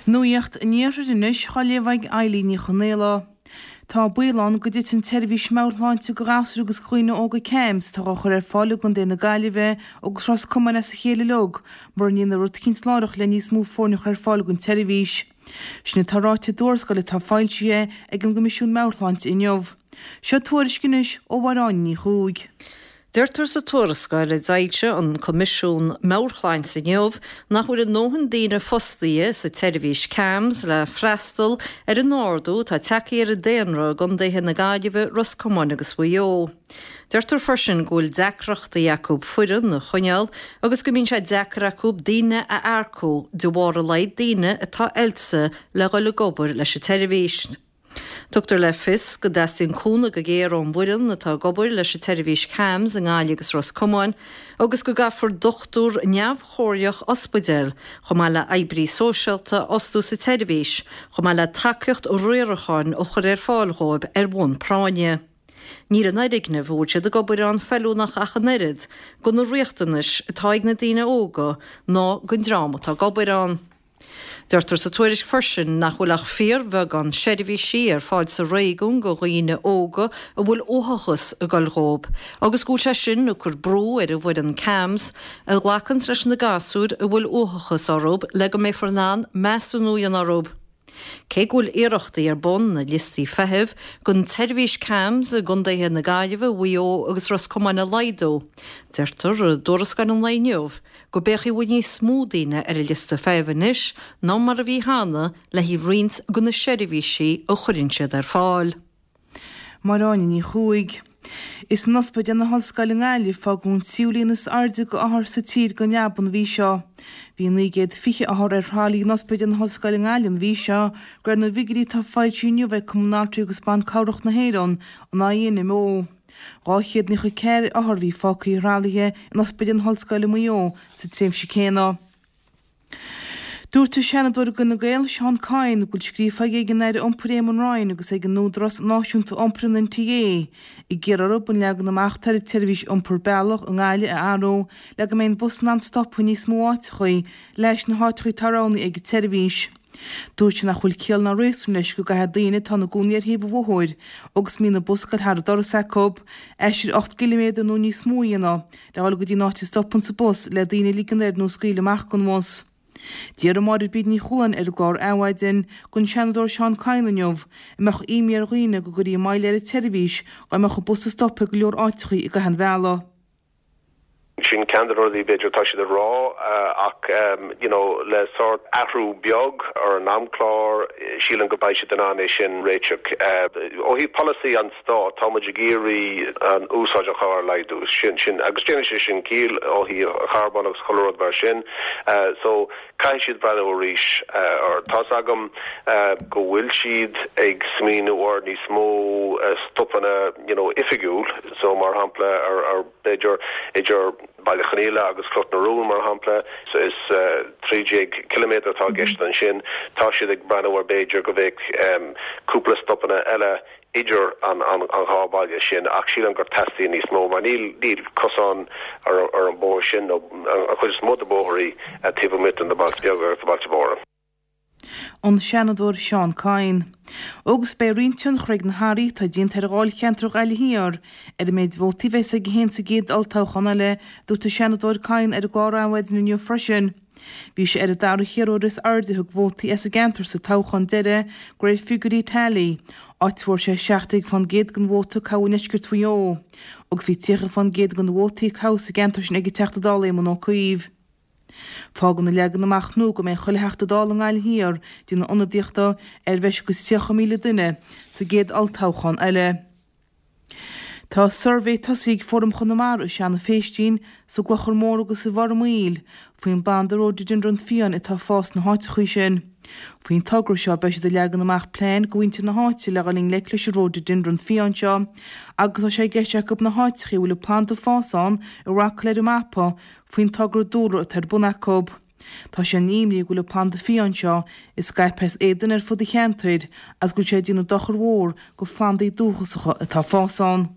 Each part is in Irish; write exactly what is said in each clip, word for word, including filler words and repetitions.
Nuacht an Iarthair anois á léamh ag Eilín Ní Chonaola. Tá baol ann go dtitfidh an tseirbhís meabhairshláinte do ghasúir agus do dhaoine óga CAMHS atá á chur ar fáil i gContae na Gaillimhe agus Ros Comáin as a chéile uilig mura ndéanfar rud eicínt láithreach le níos mó foirne a chur ar fáil don tseirbhís. Sin atá ráite i dtuarascáil atá foilsithe ag an gCoimisiún Meabhairshláinte inniu. Seo tuairisc anois ó Mháire Ní Chuaig. Deirtear sa tuarascáil a d'fhoilsigh an Coimisiún Meabhairshláinte inniu nach bhfuil a ndóthain daoine fostaithe sa tseirbhís CAMHS le freastal ar an ardú atá tagtha ar an daonra i gContaetha na Gaillimhe, Ros Comáin agus Mhaigh Eo. Deirtear freisin go bhfuil deacrachtaí acu foireann a choinneáil agus go mbíonn sé deacair acu daoine a earcú de bharr a laghad daoine atá oilte le dhul ag obair leis an tseirbhís. Tugtar le fios go dteastaíonn cúnamh go géar ón bhfoireann atá ag obair leis an tseirbhís CAMHS i nGaillimh agus Ros Comáin agus go gcaithfear dochtúir neamhchomhairleach ospidéil chomh maith le oibrí sóisialta a fhostú sa tseirbhís, chomh maith le tacaíocht riaracháin a chur ar fáil dhóibh ar bhonn práinne. Níl an fhoirgneamh a bhfuil siad ag obair ann feiliúnach ach an oiread do na riachtanais atá ag na daoine óga ná don dream atá ag obair ann. Deirtear sa tuairisc freisin nach bhfuil ach fíorbheagán seirbhísí ar fáil sa réigiún do dhaoine óga a bhfuil uathachas ag goil dhóibh, agus go bhfuil sé sin ag cur brú ar an bhfoireann CAMHS a ghlacann leis na gasúir a bhfuil uathachas orthu le go mbeifear in ann measúnú a dhéanamh orthu. Cé go bhfuil iarrachtaí ar bun na liostaí feithimh don tseirbhís CAMHS i gContaetha na Gaillimhe, Mhaigh Eo agus Ros Comáin a laghdú, deirtear i dtuarascáil an lae inniu go b'fhéadfadh i bhfad níos mó daoine ar an liosta feithimh anois ná mar a bhí cheana le haghaidh roinnt de na seirbhísí a chuireann siad ar fáil. Máire Ní Chuaig. Is in Ospidéal na hOllscoile i nGaillimh a fágadh an tríú líon is airde d'othair sa tír don leaba an mhí seo. Bhí naoi gcéad fiche othar ar thralaí in Ospidéal na hOllscoile i nGaillimh an mhí seo, de réir na bhfigiúirí atá foilsithe inniu ag Cumann Altraí agus Ban Cabhrach na hÉireann, an INMO. Dhá chéad naocha ceathair othar a bhí fágtha ar thralaithe in Ospidéal na hOllscoile i Maigh Eo sa tréimhse céanna. Dúirt an Seanadóir d'Fhine Gael, Seán Kyne, go bhfuil scríofa aige ag an Aire Iompair Eamon Ryan agus ag an Údarás Náisiúnta Iompair, an NTA, ag iarraidh orthu an leagan amach atá ar an tseirbhís iompair bealach i nGaillimh a athrú le go mbeidh an bus in ann stopadh i níos mó áiteachaí leis na háiteachaí atá roghnaithe ag an tseirbhís. Dúirt sé nach bhfuil ciall ná réasún leis go gcaithfidh daoine atá ina gcónaí ar thaobh an bhóthair agus a mbíonn an bus ag goil thar an doras acu, aistear ocht gciliméadar nó níos mó a dhéanamh le dhul go dtí an áit a stopanns an bus le daoine a ligean air nó a scaoileadh amach den bhus. D'iarr Máire Bríd Ní Chualáin ar an gclár Adhmhaidin den Seanadóir Seán Kyne inniu an mbeadh imní ar dhaoine go gcuirfí moill ar an tseirbhís dá mbeadh an bus ag stopadh ag go leor áiteachaí i gcaitheamh an bhealaigh. Sin ceann de na rudaí b'fhéidir atá siad a rá ach you know le sórt athrú beag ar an amchlár sílim go mbeidh siad in ann é sin réiteach. Ó thaobh polasaí an stáit tá muid ag iarraidh an úsáid an chairr a laghdú sin sin agus déanann sé sin ciall ó thaobh charbón agus chuile rud mar sin so caithfidh siad breathnú arís air. Tá's agam go bhfuil siad ag smaoineamh ar níos mó stopanna you know oifigiúil so mar shampla ar ar b'fhéidir idir Baile Chonghaile agus Cloch na Rún mar shampla is trí déag ciliméadar atá i gceist ansin. Tá siad ag breathnú ar b'fhéidir go bheadh cúpla stopanna eile idir an an dhá bhaile sin ach sílim gur teastaíonn níos mó mar níl níl cosán ar ar an bóthar sin nó an chuid is mó de bóithrí taobh amuigh de na bailte beaga agus na bailte móra. An Seanadóir Seán Kyne. Agus beidh roinnt tionchar ag na hathruithe atá déanta ar dháilcheantar Ghaillimh Thiar ar an méid vótaí a bheas aige féin sa gcéad olltoghchán eile, a dúirt an Seanadóir Kyne ar an gclár Adhmhaidin inniu freisin. Bhí sé ar an dara hiarrthóir is airde a thug vótaí as an gceantar sa toghchán deiridh, de réir figiúirí Tally, áit a bhfuair sé seacht déag fán gcéad den vóta a caitheadh i ndeisceart Mhaigh Eo, agus bhí tríocha fán gcéad de na vótaí a caitheadh sa gceantar sin ag an Teachta Dála Éamon Ó Cuív. Fágann an leagan amach nua go mbeidh chuile Theachta Dála i nGaillimh Thiar ag déanamh ionadaíochta ar bhreis agus tríocha míle duine sa gcéad olltoghchán eile. Tá suirbhé tosaithe ag Fóram Chonamara i Seanadh Phéistín, sa gClochar Mór agus i bhFearann Maoil faoin bplanda Rhododendron fiáin atá ag fás sna háiteachaí sin. Faoin togra seo beidh siad ag leagan amach plean do mhuintir na háite le dhul i ngleic leis an Rhododendron fiáin seo agus tá sé i gceist acu na háiteachaí a bhfuil an planda ag fás ann a mharcáil ar an mapa faoin togra dúlra atá ar bun acu. Tá sé an-imní go bhfuil an planda fiáin seo ag scaipeadh as éadan ar fud an cheantair agus go bhfuil sé ag déanamh dochar mhór go phlandaí dúchasacha atá ag fás ann.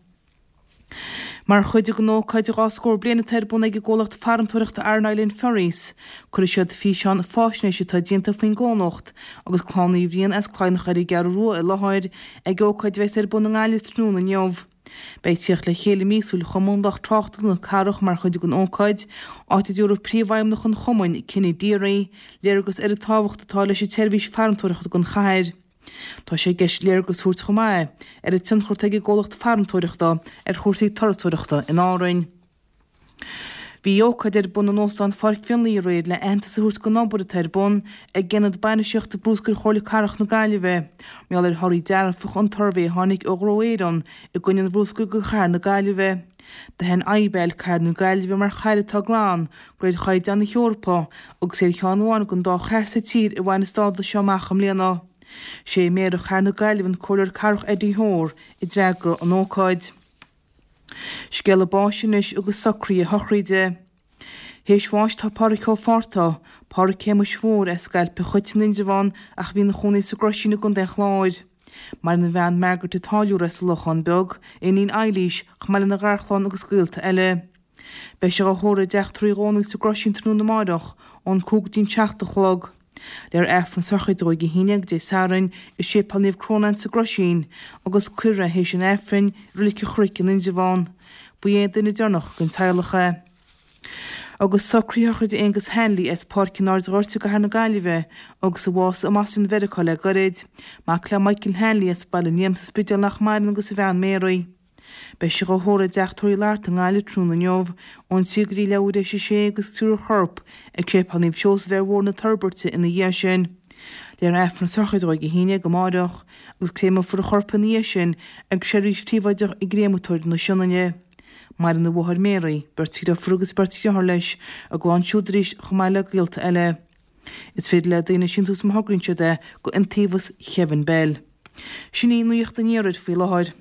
Mar chuid den ócáid dhá scór bliain atá ar bun ag an gcomhlacht farantóireachta Aran Island Ferries, cuirfidh siad físeán faisnéise atá déanta faoin gcomhlacht agus clann Uí Bhriain as Cladhnach ar an gCeathrú Rua i láthair ag ócáid a bheas ar bun i nGaillimh tráthnóna inniu. Beidh tíocht le chéile míosúil Chumann Lucht Tráchtála na Cathrach mar chuid den ócáid, áit a dtabharfaidh Príomhfheidhmeannach an Chumainn, Kenny Deery, léargas ar an tábhacht atá leis an tseirbhís farantóireachta don chathair. Tá sé i gceist léargas a thabhairt chomh maith ar an tionchar atá ag an gcomhlacht farantóireachta ar chúrsaí turasóireachta in Árainn. Bhí ócáid ar bun in Óstán Pháirc Mhionlaigh aréir le aitheantas a thabhairt don obair atá ar bun ag Aonad Bainistíochta Bruscair Chomhairle Cathrach na Gaillimhe mar gheall ar thorthaí dearfacha an tsuirbhé a tháinig ó Ghnó Éireann i gcoinne an bhruscair do chathair na Gaillimhe. D'aithin IBAL cathair na Gaillimhe mar chathair atá glan de réir chaighdeáin na hEorpa agus é ar cheann amháin den dá chathair sa tír a bhain an stádas seo amach i mbliana. Sé Méara Chathair na Gaillimhe an Comhairleoir Cathrach Eddie Hoare a d'fhreagraigh an ócáid. Scéala báis anois agus socruithe a shochraide. Théis bháis tá Pádraic Ó Fátharta, Pádraic Shéamuis Mhóir as Scailp an Chait in Indreabhán ach a bhí ina chónaí sa gCroisín i gContae an Chláir. Maireann a bhean Margaret an Táilliúra as an Lochán Beag, a iníon Eilís, chomh maith lena gharchlann agus gaolta eile. Beidh sé á thórramh i dTeach Tórraimh Uí Dhónaill sa gCroisín tráthnóna amáireach ón cúig go dtí an seacht a chlog. Léifear Aifreann sochraide dó ag a haon déag Dé Sathairn i Séipéal Naomh Crónán sa gCroisín agus cuirfear é théis an Aifrinn i Reilig an Chnoic in Indreabhán. Ba é an duine deireanach den teaghlach é. Agus socruithe sochraide Aengus Hanley as Páirc an Aird Ghoirt i gCathair na Gaillimhe agus a bhásaigh i mBoston Mheiriceá le gairid. Mac le Michael Hanley as Baile an Liam sa Spidéal nach maireann agus a bhean Mary. Beidh sé á thórramh i dTeach Tórraimh Uí Fhlatharta i nGaillimh tráthnóna inniu ón trí go dtí leathuair théis a sé agus tabharfar a chorp ag Séipéal Naomh Seosamh ar Bhóthar na Toirbeirte ina dhiaidh sin. Léifear Aifreann sochraide dó ag a haon déag amáireach agus créamfar a chorp ina dhiaidh sin ag seirbhís phríobháideach i gCréamatóir na Sionainne. Maireann a mháthair Mary, beirt dheirfiúr agus beirt dheartháir leis, a gclann siúd arís chomh maith le gaolta eile. Is féidir le daoine síntiús má thograíonn siad é go Iontaobhas Kevin Bell. Sin í nuacht an iarthair faoi láthair.